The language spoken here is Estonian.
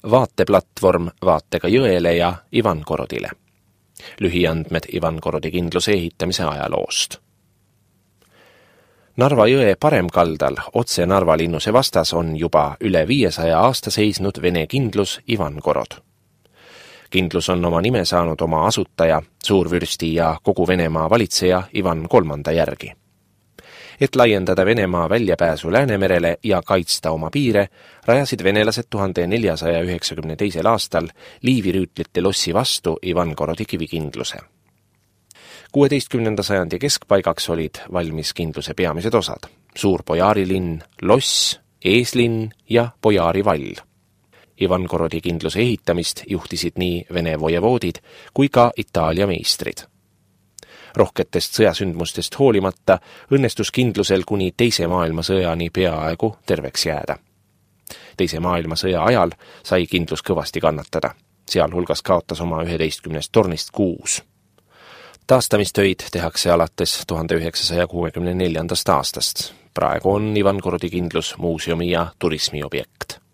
vaateplatvorm vaatega jõele ja Ivangorodile. Lühiandmed Ivangorodi kindluse ehitamise ajaloost. Narva jõe paremkaldal otse Narva linnuse vastas on juba üle 500 aasta seisnud vene kindlus Ivangorod. Kindlus on oma nime saanud oma asutaja, suurvürsti ja kogu Venemaa valitseja Ivan III järgi. Et laiendada Venemaa väljapääsu Läänemerele ja kaitsta oma piire, rajasid venelased 1492. aastal liivirüütlite lossi vastu Ivangorodi kivikindluse. 16. sajandi keskpaigaks olid valmis kindluse peamised osad: suur Bojarilinn, loss, eeslinn ja Bojari vall. Ivangorodi kindluse ehitamist juhtisid nii Vene vojevoodid kui ka Itaalia meistrid. Rohketest sõjasündmustest hoolimata õnnestus kindlusel kuni Teise maailmasõjani peaaegu terveks jääda. Teise maailmasõja ajal sai kindlus kõvasti kannatada, sealhulgas kaotas oma 11 tornist 6. Taastamistöid tehakse alates 1964. aastast. Praegu on Ivangorodi kindlus muuseumi ja turismiobjekt.